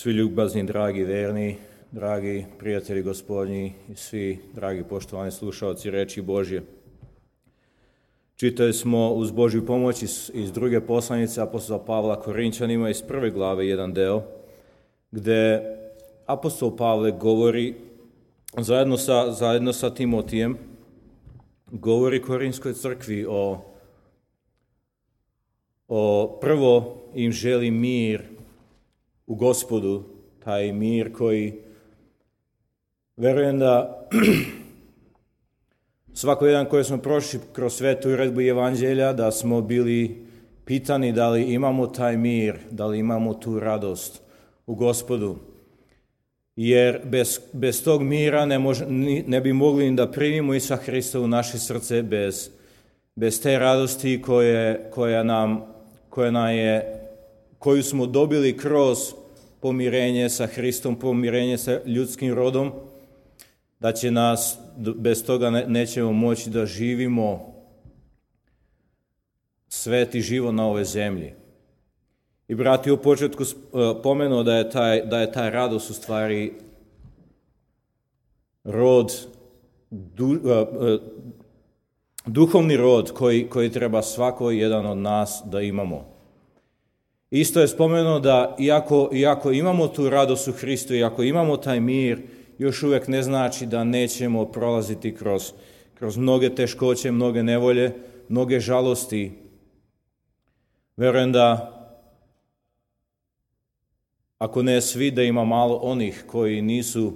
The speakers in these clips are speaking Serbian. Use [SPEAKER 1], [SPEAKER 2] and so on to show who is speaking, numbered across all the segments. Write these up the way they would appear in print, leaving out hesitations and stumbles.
[SPEAKER 1] Svi ljubazni, dragi, verni, dragi prijatelji Gospodnji i svi dragi poštovani slušalci reči Božje. Čitali smo uz Božju pomoć iz druge poslanice apostola Pavla Korinčanima iz prve glave jedan deo, gde apostol Pavle govori zajedno sa Timotijem, govori Korinskoj crkvi o prvo im želi mir u Gospodu, taj mir koji verujem da svako jedan koji smo prošli kroz svetu uredbu Evanđelja, da smo bili pitani da li imamo taj mir, da li imamo tu radost u Gospodu. Jer bez tog mira ne bi mogli ni da primimo Isusa Hrista u naše srce, bez te radosti koju smo dobili kroz pomirenje sa Hristom, pomirenje sa ljudskim rodom, da će nas, bez toga nećemo moći da živimo sveti život na ovoj zemlji. I brat je u početku pomenuo da je taj radost u stvari duhovni rod koji treba svako jedan od nas da imamo. Isto je spomenuo da iako imamo tu radost u Hristu, iako imamo taj mir, još uvijek ne znači da nećemo prolaziti kroz mnoge teškoće, mnoge nevolje, mnoge žalosti. Verujem da ako ne svi, da ima malo onih koji nisu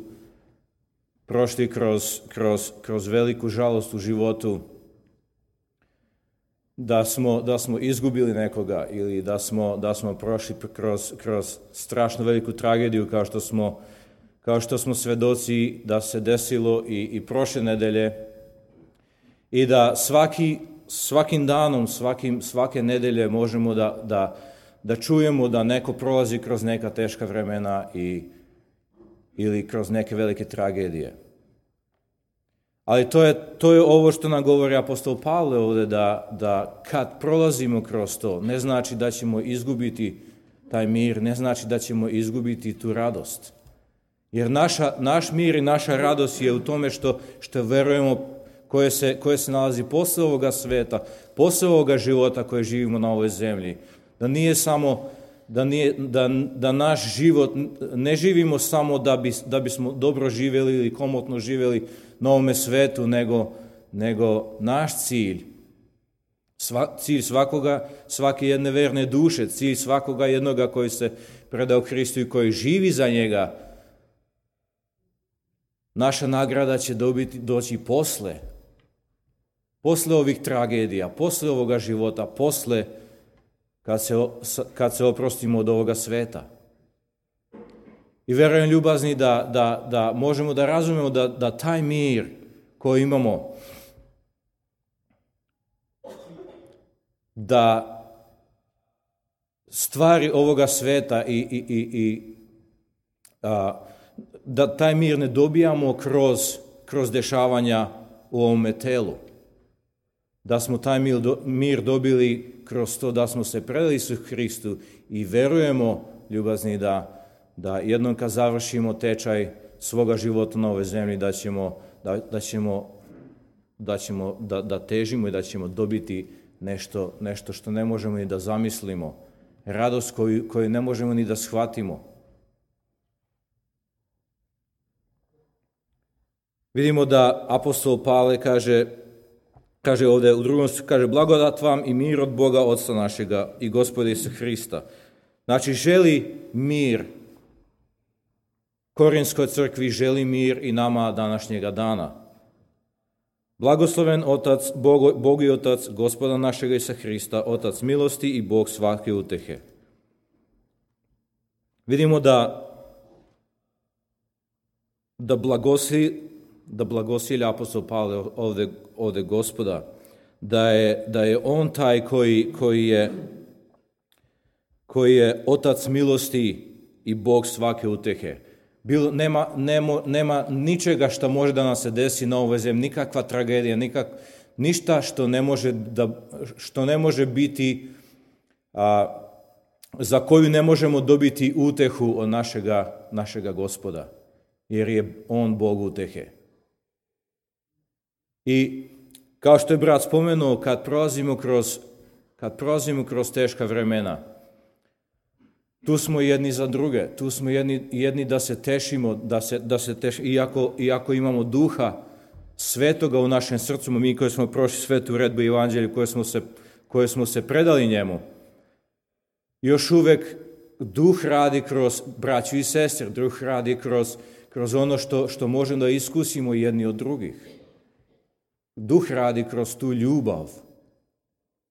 [SPEAKER 1] prošli kroz veliku žalost u životu, da smo izgubili nekoga ili da smo prošli kroz strašno veliku tragediju kao što smo svedoci da se desilo i prošle nedelje, i da svakim danom, svake nedelje možemo da čujemo da neko prolazi kroz neka teška vremena ili kroz neke velike tragedije. Ali to je ovo što nam govori apostol Pavle ovdje, da kad prolazimo kroz to, ne znači da ćemo izgubiti taj mir, ne znači da ćemo izgubiti tu radost. Jer naš mir i naša radost je u tome što verujemo koje se nalazi posle ovoga sveta, posle ovoga života koje živimo na ovoj zemlji. Da nije samo, da naš život ne živimo samo da bismo dobro živjeli ili komotno živjeli na ovome svetu, nego naš cilj svake jedne verne duše, cilj svakoga jednoga koji se predao Hristu i koji živi za njega, naša nagrada će doći posle ovih tragedija, posle ovoga života, posle kad se oprostimo od ovoga sveta. I verujem, ljubazni, da možemo da razumemo da taj mir koji imamo, da stvari ovoga sveta da taj mir ne dobijamo kroz dešavanja u ovome telu. Da smo taj mir dobili kroz to da smo se predali su Hristu i verujemo, ljubazni, da jednom kad završimo tečaj svoga života na ovoj zemlji, da težimo i da ćemo dobiti nešto što ne možemo ni da zamislimo, radost koju ne možemo ni da shvatimo. Vidimo da apostol Pavle kaže ovdje u drugom, kaže: blagodat vam i mir od Boga Otca našega i Gospoda Isusa Hrista. Znači, želi mir Korinskoj crkvi, želi mir i nama današnjega dana. Blagosloven Otac, Bog i Otac Gospoda našega Isusa Hrista, Otac milosti i Bog svake utehe. Vidimo da blagosilja apostol Pavle ovdje Gospoda, da je on taj koji je Otac milosti i Bog svake utehe. Nema ničega što može da nam se desi na ovoj zemlji, nikakva tragedija, ništa što ne može biti za koju ne možemo dobiti utehu od našega Gospoda, jer je on Bog utehe. I kao što je brat spomenuo, kad prolazimo kroz teška vremena, tu smo jedni za druge, tu smo jedni da se tešimo, iako imamo Duha Svetoga u našem srcu, mi koji smo prošli svetu uredbu i evanđelju, koje smo se predali njemu, još uvek Duh radi kroz braću i sestre, Duh radi kroz ono što možemo da iskusimo jedni od drugih. Duh radi kroz tu ljubav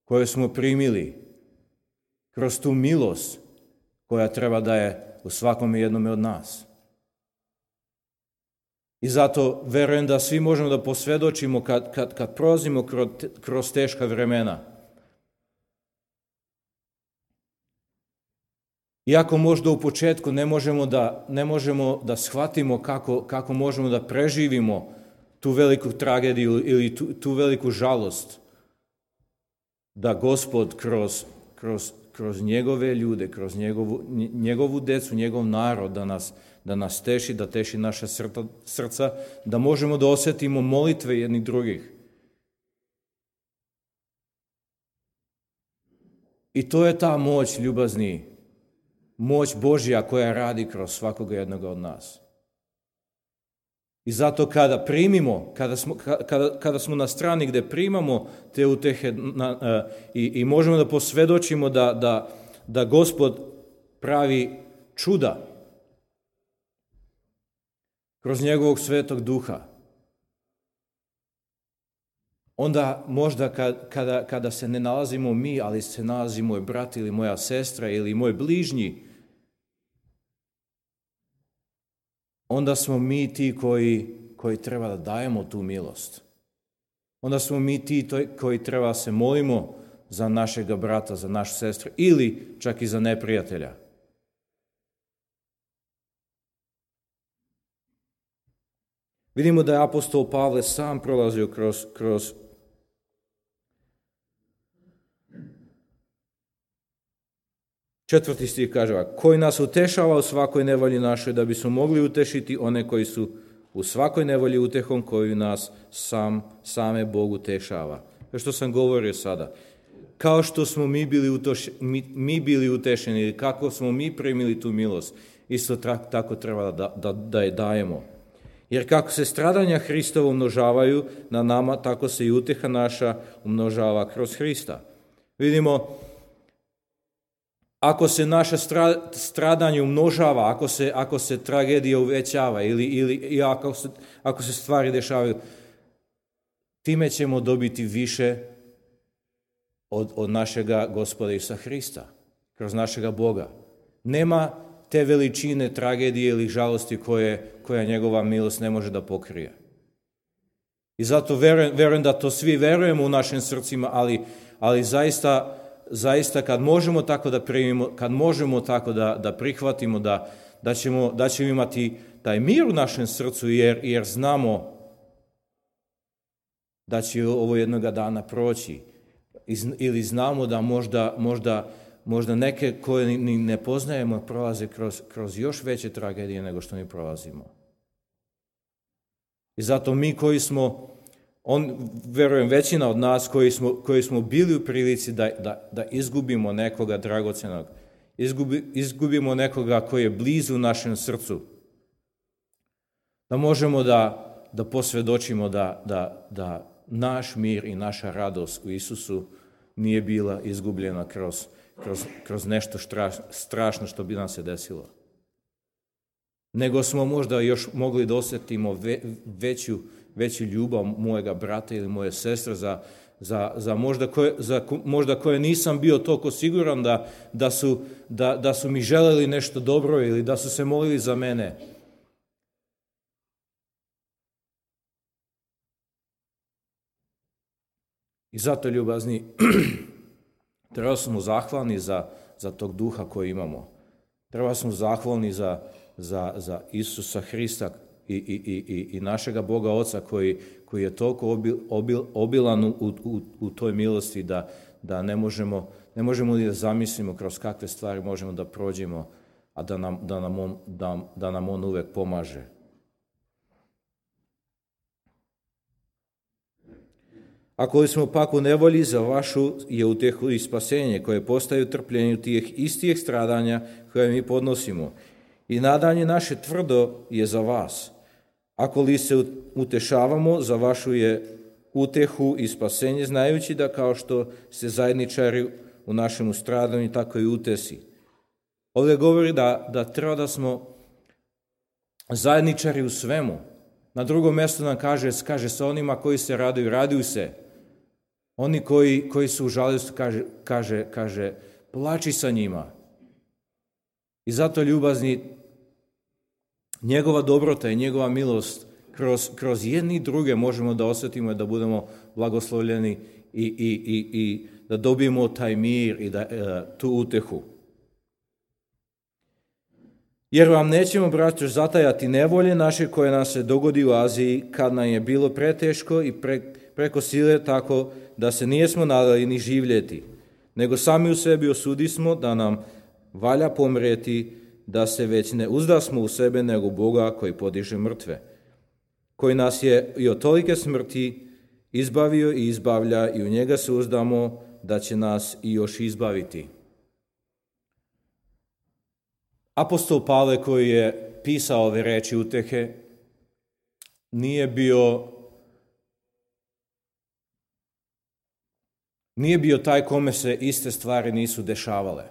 [SPEAKER 1] koju smo primili, kroz tu milost koja treba da je u svakom jednome od nas. I zato verujem da svi možemo da posvedočimo kad prolazimo kroz teška vremena. Iako možda u početku ne možemo da shvatimo kako možemo da preživimo tu veliku tragediju ili tu veliku žalost, da Gospod kroz njegove ljude, kroz njegovu decu, njegov narod, da nas teši, da teši naša srca, da možemo da osjetimo molitve jednih drugih. I to je ta moć, ljubazni, moć Božja koja radi kroz svakoga jednoga od nas. I zato kada primimo, kada smo na strani gde primamo te utehe i možemo da posvedočimo da Gospod pravi čuda kroz njegovog Svetog Duha, onda možda kada se ne nalazimo mi, ali se nalazi moj brat ili moja sestra ili moj bližnji, onda smo mi ti koji treba da dajemo tu milost. Onda smo mi ti koji treba se molimo za našega brata, za našu sestru ili čak i za neprijatelja. Vidimo da je apostol Pavle sam prolazio kroz četvrti stih kaže, koji nas utešava u svakoj nevolji našoj, da bismo mogli utešiti one koji su u svakoj nevolji utehom koju nas same Bog utešava. Što sam govorio sada. Kao što smo mi bili utešeni ili kako smo mi primili tu milost, isto tako treba da je dajemo. Jer kako se stradanja Hristova umnožavaju na nama, tako se i uteha naša umnožava kroz Hrista. Vidimo, ako se naše stradanje umnožava, ako se tragedija uvećava ili ako se stvari dešavaju, time ćemo dobiti više od našega Gospoda Isusa Hrista, kroz našega Boga. Nema te veličine tragedije ili žalosti koja njegova milost ne može da pokrije. I zato verujem da to svi verujemo u našim srcima, ali zaista kad možemo tako da primimo, kad možemo tako da prihvatimo, da ćemo imati taj mir u našem srcu, jer znamo da će ovo jednoga dana proći. Ili znamo da možda neke koje ni ne poznajemo prolaze kroz još veće tragedije nego što mi prolazimo. I zato mi koji smo, verujem većina od nas koji smo bili u prilici da izgubimo nekoga dragocenog, izgubimo nekoga koji je blizu našem srcu, da možemo da posvjedočimo da naš mir i naša radost u Isusu nije bila izgubljena kroz nešto strašno što bi nam se desilo. Nego smo možda još mogli da osjetimo veću ljubav mojega brata ili moje sestre za možda koje nisam bio toliko siguran da su mi želeli nešto dobro ili da su se molili za mene. I zato, ljubazni, treba smo zahvalni za tog duha koji imamo. Treba smo zahvalni za Isusa Hrista i našega Boga Oca koji je toliko obilan u toj milosti da ne možemo li da zamislimo kroz kakve stvari možemo da prođemo, a da nam on uvek pomaže. Ako li smo pak u nevolji, za vašu je utehu i spasenje, koje postaje u trpljenju tih istih stradanja koje mi podnosimo. I nadanje naše tvrdo je za vas. Ako li se utešavamo, za vašu je utehu i spasenje, znajući da kao što ste zajedničari u našemu stradanju, tako i utesi. Ovdje govori da treba da smo zajedničari u svemu. Na drugom mjestu nam kaže sa onima koji se raduju se. Oni koji su u žalosti, kaže, plači sa njima. I zato, ljubazni, njegova dobrota i njegova milost kroz jedni i druge možemo da osjetimo i da budemo blagoslovljeni i da dobijemo taj mir i tu utehu. Jer vam nećemo, braćo, zatajati nevolje naše koje nam se dogodi u Aziji, kad nam je bilo preteško i preko sile, tako da se nijesmo nadali ni živjeti, nego sami u sebi osudismo da nam valja pomrijeti, da se već ne uzdasmo u sebe, nego Boga koji podiže mrtve, koji nas je i od tolike smrti izbavio i izbavlja, i u njega se uzdamo da će nas i još izbaviti. Apostol Pavle, koji je pisao ove reči utehe, nije bio taj kome se iste stvari nisu dešavale.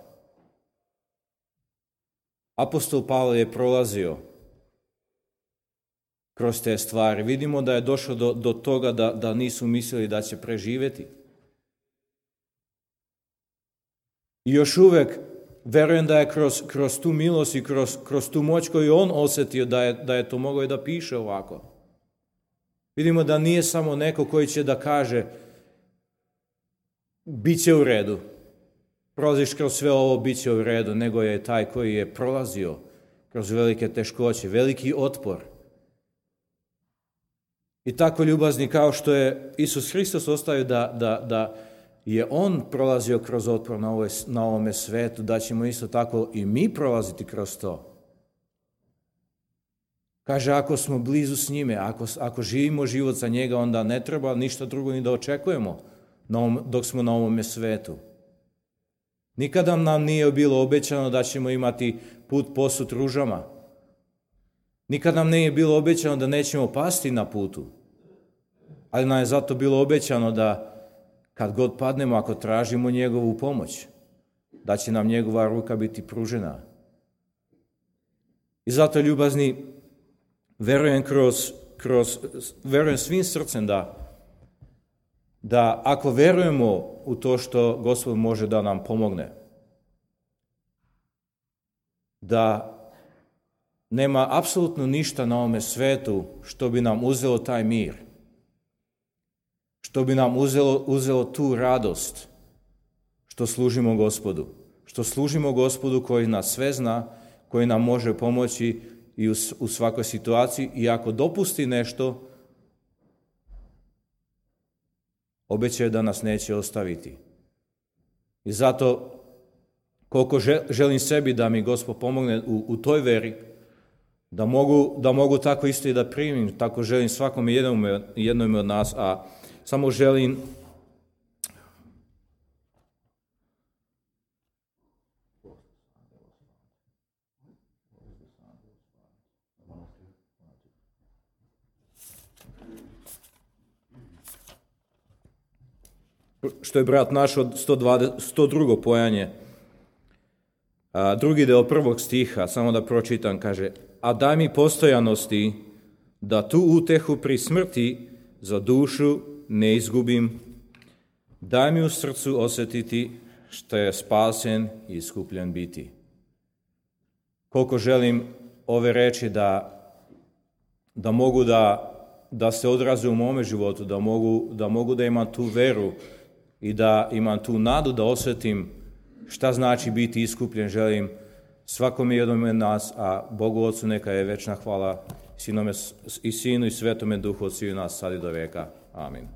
[SPEAKER 1] Apostol Pavle je prolazio kroz te stvari. Vidimo da je došlo do toga da nisu mislili da će preživjeti. I još uvek verujem da je kroz tu milost i kroz tu moć koju on osjetio da je to mogao i da piše ovako. Vidimo da nije samo neko koji će da kaže bit će u redu, prolaziš kroz sve ovo, bit će u redu, nego je taj koji je prolazio kroz velike teškoće, veliki otpor. I tako, ljubazni, kao što je Isus Hristos ostavio da je on prolazio kroz otpor na ovome svetu, da ćemo isto tako i mi prolaziti kroz to. Kaže, ako smo blizu s njime, ako živimo život za njega, onda ne treba ništa drugo ni da očekujemo dok smo na ovome svetu. Nikada nam nije bilo obećano da ćemo imati put posut ružama. Nikada nam nije bilo obećano da nećemo pasti na putu. Ali nam je zato bilo obećano da kad god padnemo, ako tražimo njegovu pomoć, da će nam njegova ruka biti pružena. I zato, ljubazni, verujem svim srcem da ako verujemo u to što Gospod može da nam pomogne, da nema apsolutno ništa na ovome svetu što bi nam uzelo taj mir, što bi nam uzelo tu radost što služimo Gospodu koji nas sve zna, koji nam može pomoći i u svakoj situaciji, i ako dopusti nešto, obećaje da nas neće ostaviti. I zato, koliko želim sebi da mi Gospod pomogne u toj veri, da mogu tako isto i da primim, tako želim svakom jednom od nas, a samo želim što je brat naš od 102. pojanje, drugi deo 1. stiha, samo da pročitam, kaže: a daj mi postojanosti da tu utehu pri smrti za dušu ne izgubim, daj mi u srcu osjetiti što je spasen i iskupljen biti. Koliko želim ove reči da mogu da se odraze u mome životu, da mogu da imam tu veru i da imam tu nadu da osjetim šta znači biti iskupljen, želim svakome jednom od nas, a Bogu Otcu neka je večna hvala, i Sinu i Svetome Duhu od svih nas sad i do veka. Amin.